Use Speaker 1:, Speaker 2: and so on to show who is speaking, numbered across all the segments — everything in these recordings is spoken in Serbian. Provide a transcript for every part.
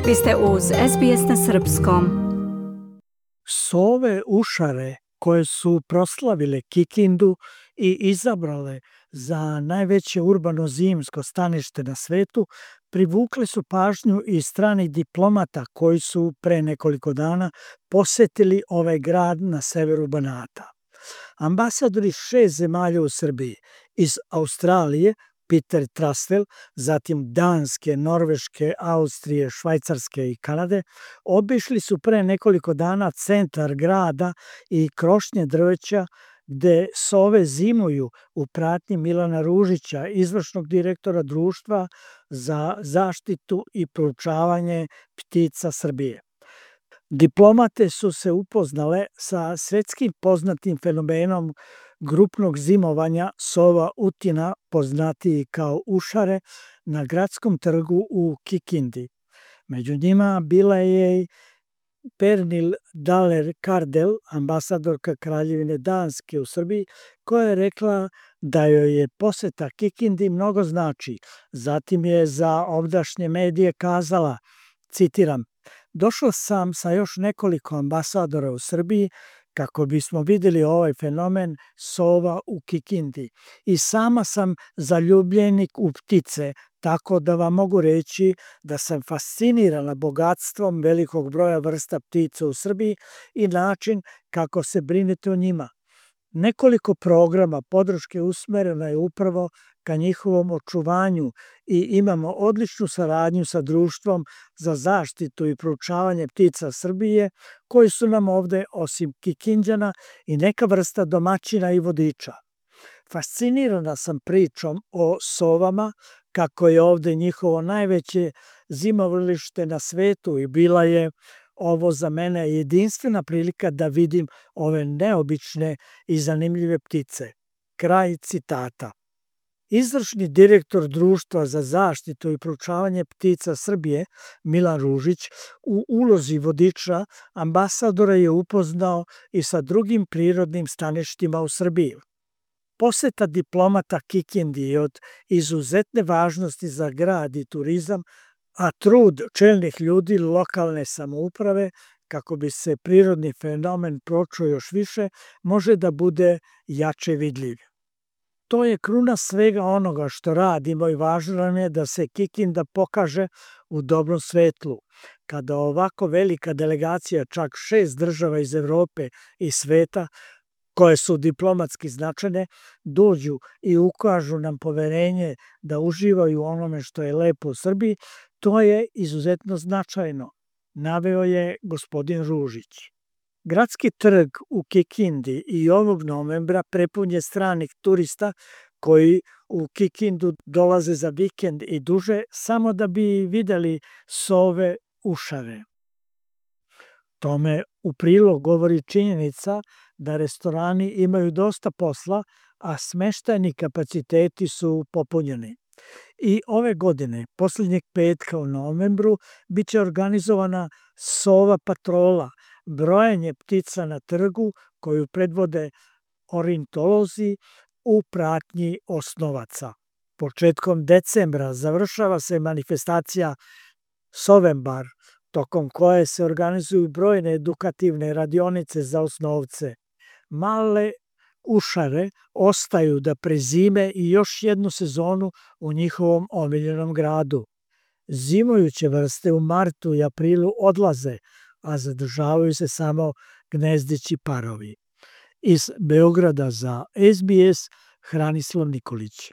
Speaker 1: Vi ste uz SBS na srpskom.
Speaker 2: Sove ušare koje su proslavile Kikindu i izabrale za najveće urbano zimsko stanište na svetu, privukle su pažnju i stranih diplomata koji su pre nekoliko dana posetili ovaj grad na severu Banata. Ambasadori 6 zemalja u Srbiji iz Australije, Peter Trastel, zatim Danske, Norveške, Austrije, Švajcarske i Kanade, obišli su pre nekoliko dana centar grada i krošnje drveća gde sove zimuju u pratnji Milana Ružića, izvršnog direktora Društva za zaštitu i proučavanje ptica Srbije. Diplomate su se upoznale sa svetskim poznatim fenomenom grupnog zimovanja sova utina, poznatiji kao ušare, na gradskom trgu u Kikindi. Među njima bila je i Pernil Daler Kardel, ambasadorka Kraljevine Danske u Srbiji, koja je rekla da joj je poseta Kikindi mnogo znači. Zatim je za ovdašnje medije kazala, citiram, "Došla sam sa još nekoliko ambasadora u Srbiji kako bismo videli ovaj fenomen sova u Kikindi. I sama sam zaljubljenik u ptice, tako da vam mogu reći da sam fascinirana bogatstvom velikog broja vrsta ptica u Srbiji i način kako se brinete o njima. Nekoliko programa podrške usmereno je upravo ka njihovom očuvanju i imamo odličnu saradnju sa Društvom za zaštitu i proučavanje ptica Srbije, koji su nam ovde, osim Kikinđana, i neka vrsta domaćina i vodiča. Fascinirana sam pričom o sovama, kako je ovde njihovo najveće zimovalište na svetu i bila je ovo za mene jedinstvena prilika da vidim ove neobične i zanimljive ptice." Kraj citata. Izvršni direktor Društva za zaštitu i proučavanje ptica Srbije, Milan Ružić, u ulozi vodiča ambasadora je upoznao i sa drugim prirodnim staništima u Srbiji. Poseta diplomata Kikindi je od izuzetne važnosti za grad i turizam, a trud čelnih ljudi lokalne samouprave, kako bi se prirodni fenomen pročuo još više, može da bude jače vidljiv. To je kruna svega onoga što radimo i važno nam je da se Kikinda pokaže u dobrom svetlu. Kada ovako velika delegacija, čak 6 država iz Evrope i sveta, koje su diplomatski značajne, dođu i ukažu nam poverenje da uživaju onome što je lepo u Srbiji, to je izuzetno značajno, naveo je gospodin Ružić. Gradski trg u Kikindi i ovog novembra prepun je stranih turista koji u Kikindu dolaze za vikend i duže samo da bi videli sove ušare. Tome u prilog govori činjenica da restorani imaju dosta posla, a smeštajni kapaciteti su popunjeni. I ove godine, poslednjeg petka u novembru, biće organizovana sova patrola, brojanje ptica na trgu koju predvode ornitolozi u pratnji osnovaca. Početkom decembra završava se manifestacija Sovembar, tokom koje se organizuju brojne edukativne radionice za osnovce. Male ušare ostaju da prezime i još jednu sezonu u njihovom omiljenom gradu. Zimujuće vrste u martu i aprilu odlaze, a zadržavaju se samo gnezdeći parovi. Iz Beograda za SBS, Hranislav Nikolić.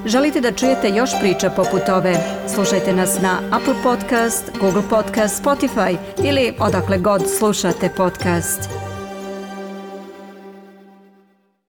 Speaker 1: Želite da čujete još priča poput ove? Slušajte nas na Apple Podcast, Google Podcast, Spotify ili odakle god slušate podcast.